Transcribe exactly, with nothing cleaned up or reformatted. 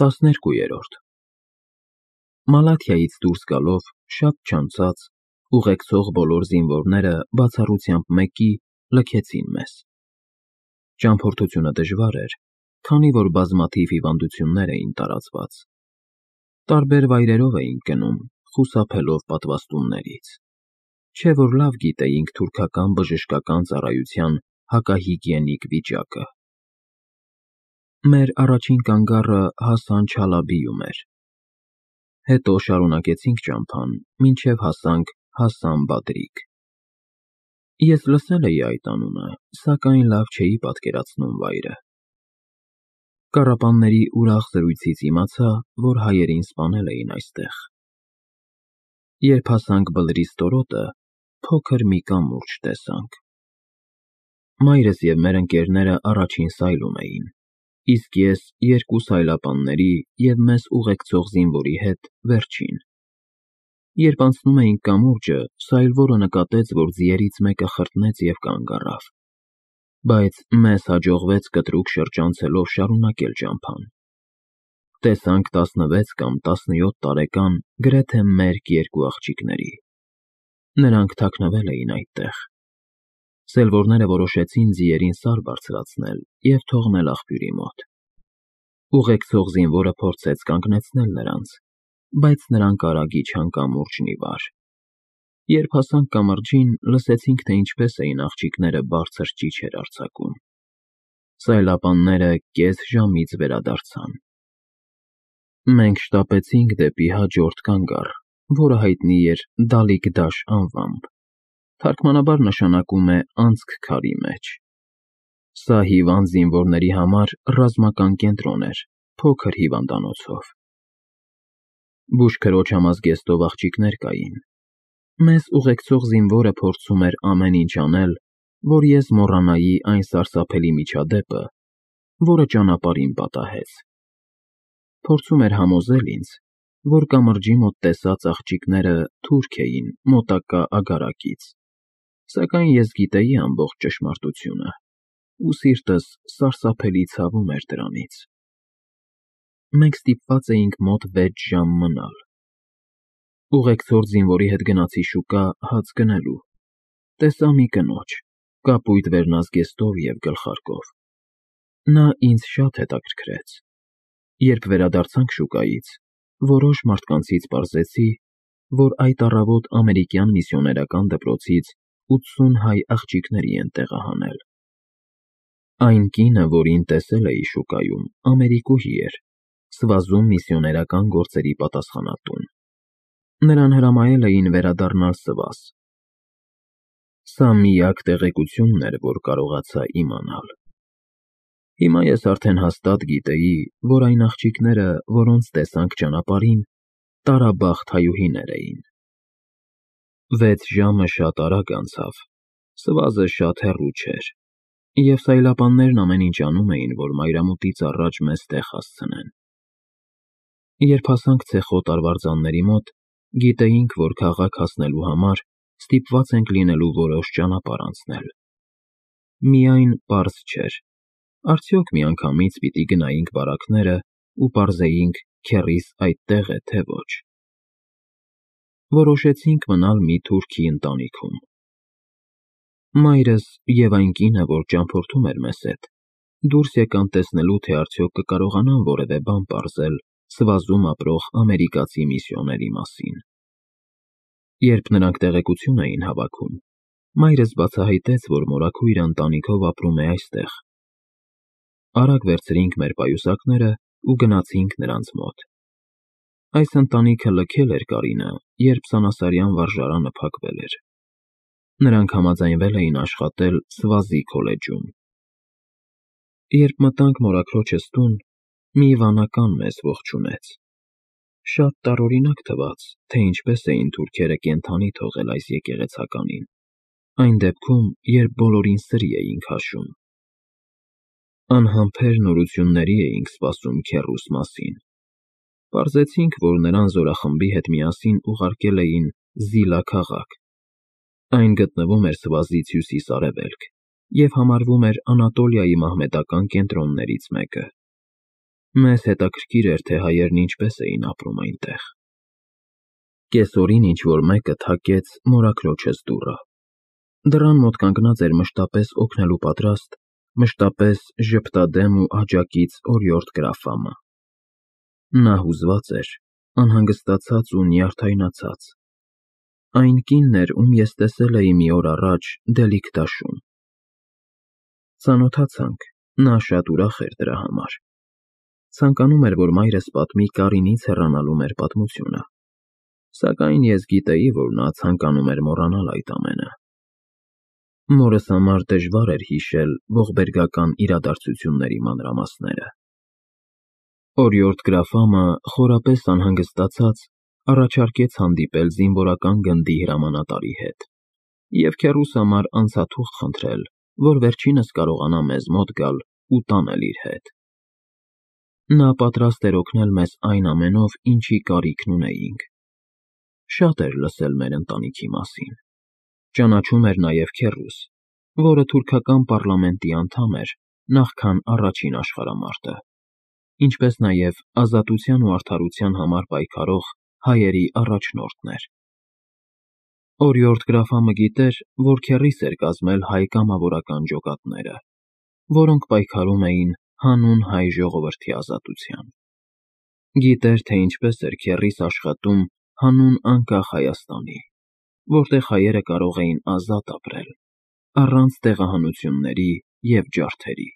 տասներկուերորդ Մալաթիայից դուրս գալով շատ չանցած, ուղեկցող բոլոր զինվորները բացառությամբ մեկի լքեցին մեզ։ Ճամփորդությունը դժվար էր, քանի որ բազմաթիվ հիվանդություններ էին տարածված։ Տարբեր վայրերով էինք գնում, խուսափելով պատվաստումներից, չէ որ լավ գիտեինք թուրքական բժշկական ծառայության հակահիգիենիկ վիճակը։ Մեր առաջին կանգառը Հասան Չալաբիում էր։ Հետո շարունակեցինք ճամփան, մինչև հասանք Հասան Բադրիկ։ Ես լսել էի այդ անունը, սակայն լավ չէի պատկերացնում վայրը։ Կառապանների ուրախ զրույցից իմացա, որ հայերին սպանել էին այստեղ։ Երբ հասանք Բլրի ստորոտը, փոքր մի կամուրջ տեսանք։ Մայրս և մեր ընկերները առաջին սայլում էին, իսկ ես երկու սայլապանների և մեզ ուղեկցող զինվորի հետ վերջին։ Երբ անցնում էինք կամուրջը, սայլվորը նկատեց, որ ձիերից մեկը խրտնեց և կանգ առավ, բայց մեզ հաջողվեց կտրուկ շրջանցելով շարունակել ճամփան։ Տեսանք տասնվեց կամ տասնյոթ տարեկան գրեթե մերկ երկու աղջիկների։ Նրանք թաքնվել էին այդտեղ։ Սելվորները որոշեցին ձիերին Սար բարձրացնել և թողնել աղբյուրի մոտ։ Ուղեկցող զինվորը փորձեց կանգնեցնել նրանց, բայց նրանք արագ իջան կամուրջն ի վար։ Երբ հասանք կամրջին, լսեցինք, թե ինչպես էին աղջիկները բարձր ճիչեր արձակում։ Սայլապանները կես ժամից վերադարձան։ Մենք շտապեցինք դեպի հաջորդ կանգառ, որը հայտնի էր Դալիքդաշ անվամբ, թարգմանաբար նշանակում է անցք քարի մեջ։ Սա հիվանդ զինվորների համար ռազմական կենտրոն էր, փոքր հիվանդանոցով։ Բուժքրոջ համազգեստով աղջիկներ կային։ Մեզ ուղեկցող զինվորը փորձում էր ամեն ինչ անել, որ ես մոռանայի այն սարսափելի միջադեպը, որը ճանապարհին պատահեց։ Փորձում էր համոզել ինձ, որ կամրջի մոտ տեսած աղջիկները թուրք էին մոտակա ագարակից, սակայն ես գիտեի ամբողջ ճշմարտությունը, ու սիրտս սարսափելի ցավում էր դրանից։ Մենք ստիպված էինք մոտ վեց ժամ մնալ։ Ուղեկցող զինվորի հետ գնացի շուկա հաց գնելու։ Տեսա մի կնոջ, կապույտ վերնազգեստով և գլխարկով։ Նա ինձ շատ հետաքրքրեց։ Երբ վերադարձանք շուկայից, որոշ մարդկանցից պարզեցի, որ այդ առավոտ ամերիկյան միսիոներական դպրոցից ութսուն հայ աղջիկների են տեղահանել։ Այն կինը, որին տեսել էի շուկայում, ամերիկուհի էր, Սվազում միսիոներական գործերի պատասխանատուն։ Նրան հրամայել էին վերադառնալ Սվազ։ Սա միակ տեղեկությունն էր, որ կարողացա իմանալ։ Հիմա ես արդեն հաստատ գիտեի, որ այն աղջիկները, որոնց տեսանք ճանապարհին, տարաբախտ հայուհիներ էին։ Վեց ժամը շատ արագ անցավ, Սվազը շատ հեռու չէր, և սայլապաններն ամեն ինչ անում էին, որ մայրամուտից առաջ մեզ տեղ հասցնեն։ Երբ հասանք ցեխոտ արվարձանների մոտ, գիտեինք, որ քաղաք հասնելու համար ստիպված ենք լինելու որոշ ճանապարհ անցնել։ Միայն պարզ չէր, արդյոք միանգամից պիտի գնայինք բարակները ու պարզեինք քեռիս այդտեղ է, թե ոչ։ Որոշեցինք մնալ մի թուրքի ընտանիքում։ Մայրս և այն կինը, որ ճամփորդում էր մեզ հետ, դուրս եկան տեսնելու, թե արդյոք կկարողանան որևէ բան պարզել Սվազում ապրող ամերիկացի միսիոների մասին։ Երբ նրանք տեղեկություն էին հավաքում, մայրս բացահայտեց, որ մորաքույրը ընտանիքով ապրում է այստեղ։ Արագ վերցրինք մեր պայուսակները ու գնացինք նրանց մոտ։ Այս ընտանիքը լքել էր Կարինը, երբ Սանասարյան վարժարանը փակվել էր։ Նրանք համաձայնվել էին աշխատել Սվազի քոլեջում։ Երբ մտանք մորաքրոջս տուն, մի վանական մեզ ողջունեց։ Շատ տարօրինակ թվաց, թե ինչպես էին թուրքերը կենդանի թողել այս եկեղեցականին, այն դեպքում, երբ բոլորին սրի էին քաշում։ Անհամբեր նորությունների էինք սպասում քեռուս մասին։ Պարզեցինք, որ նրան զորախմբի հետ միասին ուղարկել էին Զիլա քաղաք։ Այն գտնվում էր Սվազից հյուսիս֊արևելք և համարվում էր Անատոլիայի մահմեդական կենտրոններից մեկը։ Մեզ հետաքրքիր էր, թե հայերն ինչպես էին ապրում այնտեղ։ Կեսօրին ինչ-որ մեկը թակեց մորաքրոջս դուռը։ Դռան մոտ կանգնած էր մշտապես օգնելու պատրաստ, մշտապես ժպտադեմ ու աջակից օրիորդ գրաֆամը։ Նա հուզված էր, անհանգստացած ու նյարդայնացած։ Այն կինն էր, ում ես տեսել էի մի օր առաջ Դելիք դաշում։ Ծանոթացանք, նա շատ ուրախ էր դրա համար։ Ցանկանում էր, որ մայրս պատմի Կարինից հեռանալու մեր պատմությունը, սակայն ես գիտեի, որ նա ցանկանում էր մոռանալ այդ ամենը։ Մորս համար դժվար էր հիշել ողբերգական իրադարձությունների մանրամասները։ Օրիորդ գրաֆամը, խորապես անհանգստացած, առաջարկեց հանդիպել զինվորական գնդի հրամանատարի հետ և քեռուս համար անցաթուղթ խնդրել, որ վերջինս կարողանա մեզ մոտ գալ ու տանել իր հետ։ Նա պատրաստ էր օգնել մեզ այն ամենով, ինչի կարիքն ունեինք։ Շատ էր լսել մեր ընտանիքի մասին։ Ճանաչում էր նաև քեռուս, որը թուրքական պառլամենտի անդամ էր նախքան առաջին աշխարհամարտը, ինչպես նաև ազատության ու արդարության համար պայքարող հայերի առաջնորդն էր։ Օրիորդ գրաֆամը գիտեր, որ քեռիս էր կազմել հայ կամավորական ջոկատները, որոնք պայքարում էին հանուն հայ ժողովրդի ազատության։ Գիտեր, թե ինչպես էր քեռիս աշխատում հանուն անկախ Հայաստանի, որտեղ հայերը կարող էին ազատ ապրել, առանց տեղահանությունների և ջարդերի։